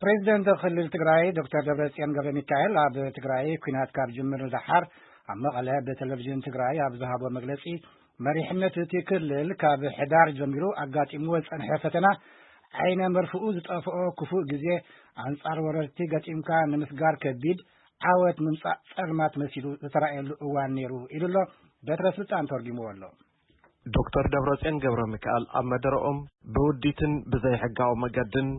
ፕሬዚደንት ክልል ትግራይ ዶክተር ደብረጽዮን ገብረ ሚካኤል ኣብ ትግራይ ኲናት ካብ ጅምር ንደሓር ኣብ መቐለ ብቴሌቪዥን ትግራይ ኣብ ዝሃቦ መግለጺ፣ መሪሕነት እቲ ክልል ካብ ሕዳር ጀሚሩ ኣጋጢምዎ ዝጸንሐ ፈተና ዓይነ መርፍኡ ዝጠፍኦ ክፉእ ግዜ ኣንጻር ወረርቲ ገጢምካ ንምስጋር ከቢድ ዓወት ምምጻእ ጸልማት መሲሉ ዝተራእየሉ እዋን ነይሩ ኢሉ ኣሎ። በትረ ስልጣን ተርጉምዎ ኣሎ። ዶክተር ደብረጽዮን ገብረ ሚካኤል ኣብ መደረኦም፣ ብውዲትን ብዘይሕጋዊ መገድን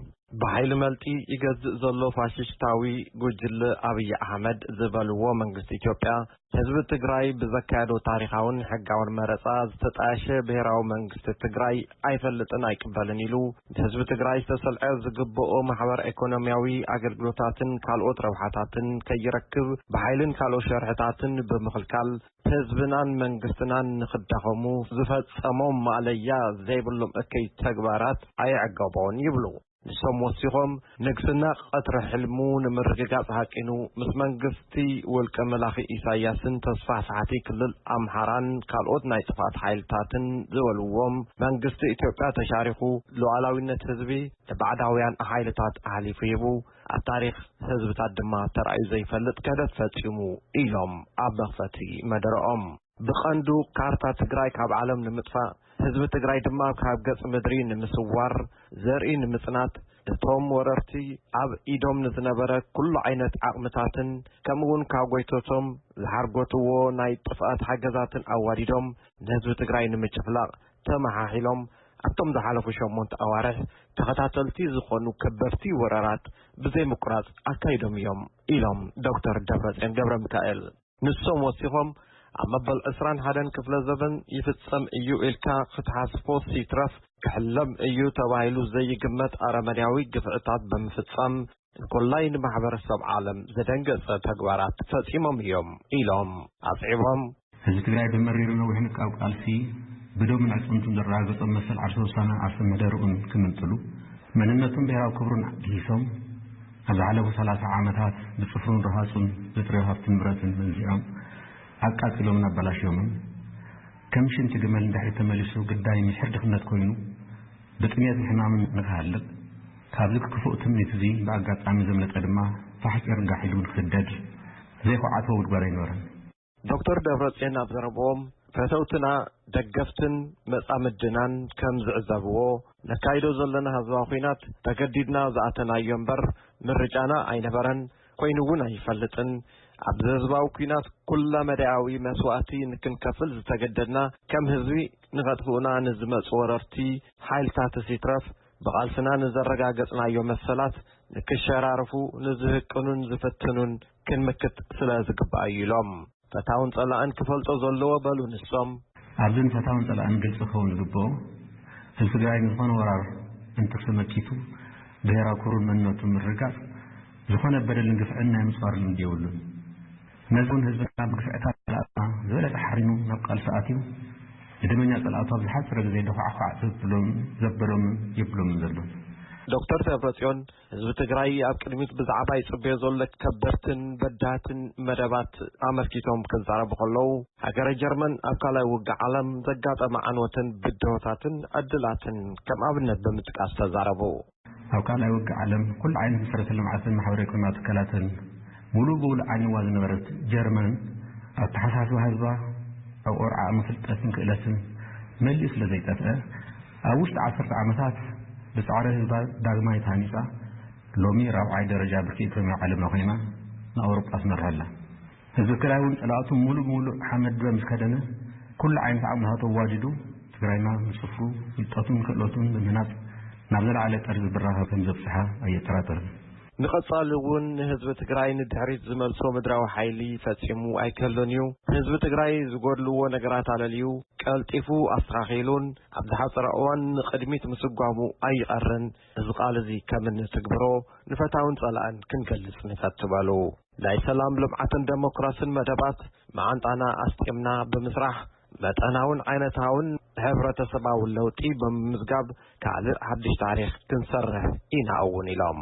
ብሓይሊ መልጢ ይገዝእ ዘሎ ፋሽስታዊ ጉጅለ ኣብይ ኣሕመድ ዝበልዎ መንግስቲ ኢትዮጵያ፣ ህዝቢ ትግራይ ብዘካየዶ ታሪኻውን ሕጋውን መረጻ ዝተጣየሸ ብሔራዊ መንግስቲ ትግራይ ኣይፈልጥን ኣይቅበልን ኢሉ፣ ህዝቢ ትግራይ ዝተሰልዐ ዝግብኦ ማሕበር ኢኮኖሚያዊ ኣገልግሎታትን ካልኦት ረብሓታትን ከይረክብ ብሓይልን ካልኦት ሸርሕታትን ብምኽልካል ህዝብናን መንግስትናን ንኽዳኸሙ ዝፈጸሞም ማእለያ ዘይብሎም እከይ ተግባራት ኣየዕገቦን ይብሉ። ንሶም ወሲኾም፣ ንግስና ቀትሪ ሕልሙ ንምርግጋጽ ሃቂኑ፣ ምስ መንግስቲ ውልቀ መላኺ ኢሳያስን ተስፋሕፋሕቲ ክልል ኣምሓራን ካልኦት ናይ ጥፍኣት ሓይልታትን ዝበልዎም መንግስቲ ኢትዮጵያ ተሻሪኹ፣ ሉዓላዊነት ህዝቢ ንባዕዳውያን ሓይልታት ኣሕሊፉ ሂቡ፣ ኣብ ታሪኽ ህዝብታት ድማ ተራእዩ ዘይፈልጥ ክህደት ፈጺሙ ኢሎም ኣብ መኽፈቲ መደረኦም። ብቐንዱ ካርታ ትግራይ ካብ ዓለም ንምጥፋእ፣ ህዝቢ ትግራይ ድማ ካብ ገጽ ምድሪ ንምስዋር፣ ዘርኢ ንምጽናት፣ እቶም ወረርቲ ኣብ ኢዶም ንዝነበረ ኩሉ ዓይነት ዓቕምታትን ከምኡ እውን ካብ ጎይቶቶም ዝሓርጎትዎ ናይ ጥፍኣት ሓገዛትን ኣዋዲዶም ንህዝቢ ትግራይ ንምጭፍላቕ ተመሓሒሎም ኣብቶም ዝሓለፉ ሸሞንተ ኣዋርሕ ተኸታተልቲ ዝኾኑ ከበድቲ ወረራት ብዘይ ምቁራጽ ኣካይዶም እዮም ኢሎም ዶክተር ደብረጽዮን ገብረ ሚካኤል። ንሶም ወሲኾም፣ ኣብ መበል ዕስራን ሓደን ክፍለ ዘበን ይፍጸም እዩ ኢልካ ክትሓስቦ ሲትረፍ ክሕለም እዩ ተባሂሉ ዘይግመት ኣረመኔያዊ ግፍዕታት ብምፍጻም እንኮላይ ንማሕበረሰብ ዓለም ዘደንገጸ ተግባራት ፈጺሞም እዮም ኢሎም ኣጽዒቦም። ህዝቢ ትግራይ ብመሪርን ነዊሕን ካብ ቃልሲ ብደሙን ኣዕፅምቱን ዘረጋገጾም መሰል ዓርሰ ውሳነ ዓርሰ መደርኡን ክምንጥሉ፣ መንነቱን ብሔራዊ ክብሩን ግሂሶም፣ ኣብ ዝሓለፉ ሰላሳ ዓመታት ብጽፍሩን ረሃጹን ዘጥረዮ ሃብቲ ንብረትን መንዚዖም ኣቃጺሎምን ኣበላሽዮምን፣ ከም ሽንቲ ግመል ንድሕሪት ተመሊሱ ግዳይ ምሕር ድኽነት ኮይኑ ብጥሜትን ሕማምን ንክሃልቕ፣ ካብዚ ክፉእ ትምኒት እዚ ብኣጋጣሚ ዘምለጠ ድማ ፋሕ ጭርጋሕ ኢሉ ንክስደድ ዘይኮዓቶ ጉድጓድ ኣይነበረን። ዶክተር ደብረጽዮን ኣብ ዘረብኦም፣ ፈተውትና፣ ደገፍትን መጻምድናን ከም ዝዕዘብዎ፣ ነካይዶ ዘለና ህዝባዊ ኲናት ተገዲድና ዝኣተናዮ እምበር ምርጫና ኣይነበረን፣ ኮይኑ እውን ኣይፈልጥን። ኣብዚ ህዝባዊ ኲናት ኩለ መዳያዊ መስዋእቲ ንክንከፍል ዝተገደድና፣ ከም ህዝቢ ንኸጥፍኡና ንዝመጹ ወረርቲ ሓይልታት ሲትረፍ ብቓልስና ንዘረጋገጽናዮ መሰላት ንክሸራርፉ ንዝህቅኑን ዝፍትኑን ክንምክት ስለ ዝግባእ እዩ ኢሎም። ፈታውን ጸላእን ክፈልጦ ዘለዎ በሉ ንሶም። ኣብዝን ፈታውን ጸላእን ግልጺ ክኸውን ዝግብኦ፣ ህዝቢ ትግራይ ንዝኾነ ወራር እንትርፊ መኪቱ ብሄራዊ ክብሩን መንነቱን ምርጋጽ ዝኾነ በደልን ግፍዕን ናይ ምጽዋር ልምዲ የብሉን። ነዚ እውን ህዝብና ብግፍዕታት ጸላእትና ዝበለጸ ሓሪኑ ናብ ቃልሲ ኣትዩ ንደመኛ ጸላእቱ ኣብ ዝሓጸረ ግዜ ደዃዕኳዕ ዘብሎም ዘበሎምን የብሎምን ዘሎ። ዶክተር ደብረጽዮን ህዝቢ ትግራይ ኣብ ቅድሚት ብዛዕባ ይጽበዮ ዘሎ ከበድትን በዳህትን መደባት ኣመልኪቶም ክዛረቡ ከለዉ፣ ሃገረ ጀርመን ኣብ ካልኣይ ውግእ ዓለም ዘጋጠመ ዓንወትን ብድሆታትን ዕድላትን ከም ኣብነት ብምጥቃስ ተዛረቡ። ኣብ ካልኣይ ውግእ ዓለም ኩሉ ዓይነት መሰረተ ልምዓትን ማሕበራዊ ኢኮኖሚያዊ ትካላትን ሙሉእ ብሙሉእ ዓንዋ ዝነበረት ጀርመን፣ ኣተሓሳስባ ህዝባ ኣብ ቆርዓ ፍልጠትን ክእለትን መሊኡ ስለ ዘይጠፍአ፣ ኣብ ውሽጢ ዓሰርተ ዓመታት ብጻዕሪ ህዝባ ዳግማይ ተሃኒጻ፣ ሎሚ ራብዓይ ደረጃ ብርኪ ኢኮኖሚ ዓለምና ኮይና ንኣውሮጳ ትመርሕ ኣላ። ህዝቢ ትግራይ እውን ጸላእቱ ሙሉእ ብሙሉእ ሓመድ ድበ ምስ ከደነ፣ ኩሉ ዓይነት ዓቕምታቱ ኣዋዲዱ ትግራይና ንጽፍሩ ፍልጠቱን ክእለቱን ብምህናጽ ናብ ዝለዓለ ጠርዚ ብራኸ ከም ዘብጽሓ ኣየጠራጥርን። ንቐጻሊ እውን ንህዝቢ ትግራይ ንድሕሪት ዝመልሶ ምድራዊ ሓይሊ ፈጺሙ ኣይክህሉን እዩ። ህዝቢ ትግራይ ዝጎድልዎ ነገራት ኣለልዩ ቀልጢፉ ኣስተኻኺሉን ኣብ ዝሓጸረ እዋን ንቕድሚት ምስጓሙ ኣይቐርን። እዚ ቃል እዚ ከም እንትግብሮ ንፈታውን ጸላእን ክንገልጽ ንፈቱ በሉ። ናይ ሰላም ልምዓትን ደሞክራስን መደባት መዓንጣና ኣስጢምና ብምስራሕ መጠናውን ዓይነታውን ሕብረተሰባዊ ለውጢ ብምምዝጋብ ካልእ ሓድሽ ታሪኽ ክንሰርሕ ኢና እውን ኢሎም።